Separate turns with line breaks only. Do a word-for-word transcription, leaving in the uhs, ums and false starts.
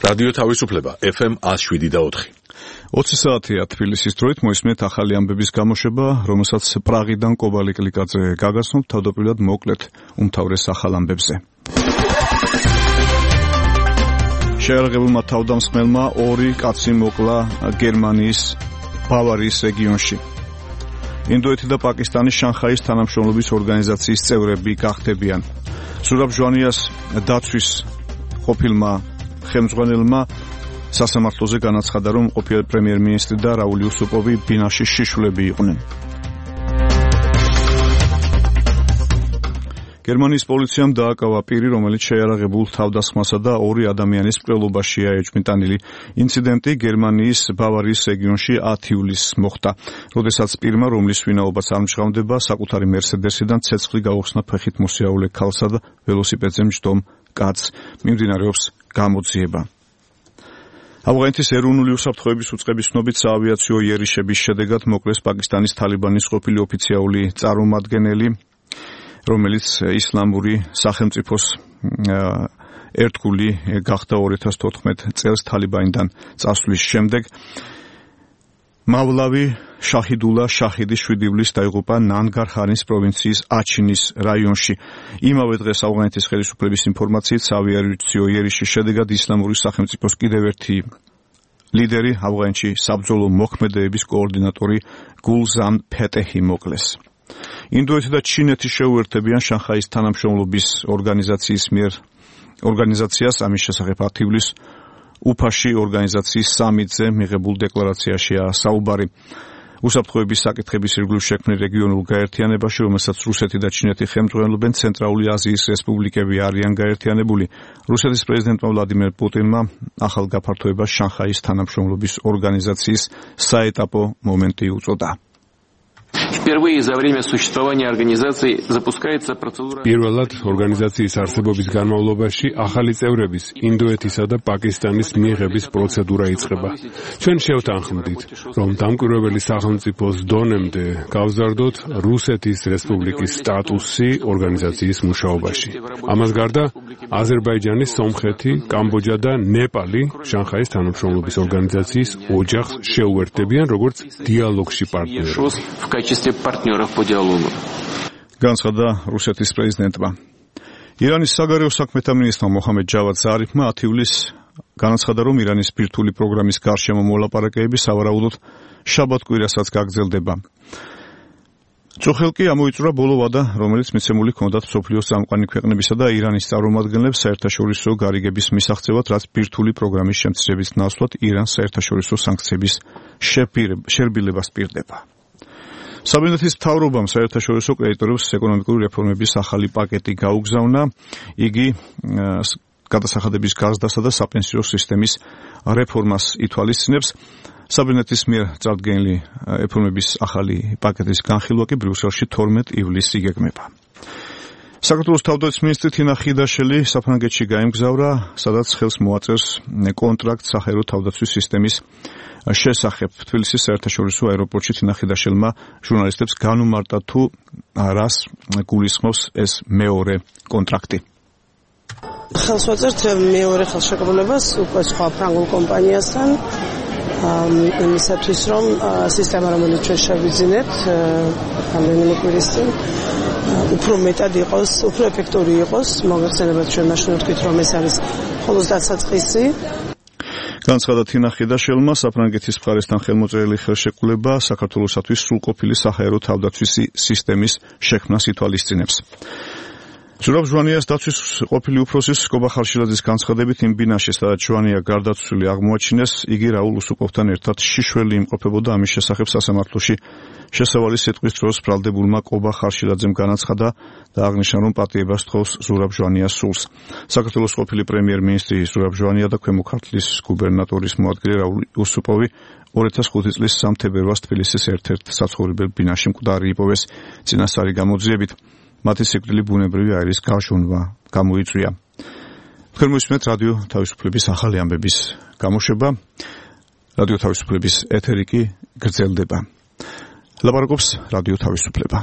რადიო თავისუფლება ეფ ემ one oh seven და four.
ოცი საათია თბილისის დროით მოისმენთ ახალი ამბების გამოშვება, რომელსაც პრაღიდან კობალი კლიკაძე გაგაცნობთ თავდაპირველად მოკლედ უმთავრეს ახალ ამბებზე. შეერაღებულმა თავდამსხმელმა ორი კაცი მოკლა გერმანიის ბავარიის რეგიონში. ინდოეთი და პაკისტანის შანხაის თანამშრომლობის ორგანიზაციის წევრები გახდებიან. ზურაბ ჟვანიას დაცვის ყოფილმა ხელმძღვანელმა სასამართლოზე განაცხადა, რომ ყოფილი პრემიერ-მინისტრი და რაულ იუსუპოვი ბინაში შიშვლები იყვნენ. გერმანიის პოლიციამ დააკავა პირი, რომელიც შეიარაღებულ თავდასხმასა და ორი ადამიანის მკვლელობაშია ეჭვმიტანილი. ინციდენტი გერმანიის ბავარიის რეგიონში ათი ივლისს მოხდა, როდესაც პირმა, რომლის ვინაობაც არ მჟღავნდება, საკუთარი მერსედესიდან ცეცხლი გაუხსნა ფეხით მოსიაულე ქალსა და ველოსიპედზე მჯდომ კაცს. მიმდინარეობს გამოძიება. ავღანეთის ეროვნული უსაფრთხოების უწყების ცნობით საავიაციო იერიშების შედეგად მოკლეს პაკისტანის თალიბანის ყოფილი ოფიციალური წარმომადგენელი, რომელიც ისლამური სახელმწიფოს ერთგული გახდა ორი ათას თოთხმეტ წელს თალიბანიდან წასვლის შემდეგ. მავლავი შაჰიდულა შაჰიდი შვიდი ივლისს დაიღუპა ნანგარჰარის პროვინციის აჩინის რაიონში. იმავე დღეს ავღანეთის ხელისუფლების ინფორმაციით საავიაციო იერიშის შედეგად ისლამური სახელმწიფოს კიდევ ერთი ლიდერი, ავღანეთში საბრძოლო მოქმედებების კოორდინატორი გულზამ ფეტეჰი მოკლეს. ინდოეთი და ჩინეთი შეუერთებიან შანხაის თანამშრომლობის ორგანიზაციის მიერ ორგანიზაციას, ამის შესახებ ათი ივლისს უფაში ორგანიზაციის სამიტზე მიღებულ დეკლარაციაშია საუბარი. უსაფრთხოების საკითხების ირგვლივ შექმნილ რეგიონულ გაერთიანებაში, რომელსაც რუსეთი და ჩინეთი ხელმძღვანელობენ, ცენტრალური აზიის რესპუბლიკები არიან გაერთიანებული. რუსეთის პრეზიდენტმა ვლადიმერ პუტინმა ახალ გაფართოებას შანხაის თანამშრომლობის ორგანიზაციის საეტაპო მომენტი უწოდა.
Впервые за время существования организации запускается процедура.
Პირველად ორგანიზაციის არსებობის განმავლობაში ახალი წევრების ინდოეთისა და პაკისტანის მიღების პროცედურა იწყება. ჩვენ შევთანხმდით, რომ დამკვირვებელი სახელმწიფოს დონემდე გავზარდოთ რუსეთის რესპუბლიკის სტატუსი ორგანიზაციის მუშაობაში. ამას გარდა აზერბაიჯანი, სომხეთი, კამბოჯა და ნეპალი შანხაის თანამშრომლობის ორგანიზაციის ოჯახს შეუერთდებიან როგორც დიალოგში პარტნიორები.
განცხადა რუსეთის პრეზიდენტმა. ირანის საგარეო საქმეთა მინისტრმა მოჰამედ ჯავად ზარიფმა ათი ივლისს განაცხადა, რომ ირანის ბირთვული პროგრამის გარშემო მოლაპარაკებები სავარაუდოდ შაბათ-კვირასაც გაგრძელდება. წუხელკი ამოიწურა ბოლო ვადა, რომელიც მიცემული ჰქონდათ მსოფლიოს წამყვანი ქვეყნებისა და ირანის წარმომადგენლებს საერთაშორისო გარიგების მისაღწევად, რაც ბირთვული პროგრამის შემცირების ნაცვლად ირანს საერთაშორისო სანქციების შერბილებას პირდება. საბინეთის მთავრობამ საერთაშორისო კრედიტორებს ეკონომიკური რეფორმების ახალი პაკეტი გაუგზავნა. იგი გადასახადების გაზრდასა და საპენსიო სისტემის რეფორმას ითვალისწინებს. საბინეთის მიერ წარდგენილი რეფორმების ახალი პაკეტის განხილვა კი ბრიუსელში თორმეტ ივლისს იგეგმება. საქართველოს თავდაცვის მინისტრი თინა ხიდაშელი საფრანგეთში გაემგზავრა, სადაც ხელს მოაწერს კონტრაქტს საჰაერო თავდაცვის სისტემის შესახებ. თბილისის საერთაშორისო აეროპორტში თინა ხიდაშელმა ჟურნალისტებს განუმარტა, თუ რას გულისხმობს ეს მეორე კონტრაქტი.
ხელს ვაწერთ მეორე ხელშეკრულებას უკვე სხვა ფრანგულ კომპანიასთან, იმისათვის, რომ სისტემა, რომელიც ჩვენ შევიძინეთ რამდენიმე კვირის წინ, უფრო მეტად იყოს, უფრო ეფექტური იყოს. მოგეხსენებათ, ჩვენ მაშინ ვთქვით, რომ ეს არის მხოლოდ დასაწყისი.
განცხადა თინა ხიდაშელმა, საფრანგეთის მხარესთან ხელმოწერილი ხელშეკრულება საქართველოსათვის სრულყოფილი საჰაერო თავდაცვის სისტემის შექმნას ითვალისწინებს. ზურაბ ჟვანიას დაცვის ყოფილი უფროსის კობა ხარშილაძის განცხადებით, იმ ბინაში, სადაც ჟვანია გარდაცვლილი აღმოაჩინეს, იგი რაულ უსუპოვთან ერთად შიშველი იმყოფებოდა. ამის შესახებ სასამართლოში შესავალი სიტყვის დროს ბრალდებულმა კობა ხარშილაძემ განაცხადა და აღნიშნა, რომ პატიებას თხოვს ზურაბ ჟვანიას სულს. საქართველოს ყოფილი პრემიერ-მინისტრი ზურაბ ჟვანია და ქვემო ქართლის გუბერნატორის მოადგილე რაულ იუსუპოვი ორი ათას ხუთი წლის სამ თებერვალს თბილისის ერთ-ერთ საცხოვრებელ ბინაში მკვდარი იპოვეს წინასწარი გამოძიებით. მათი სიკვდილი ბუნებრივი აირის გაშონვა გამოიწვია. თქვენ მოისმენთ რადიო თავისუფლების ახალი ამბების გამოშვება. რადიო თავისუფლების ეთერი კი გრძელდება. ლაპარაკობს რადიო თავისუფლება.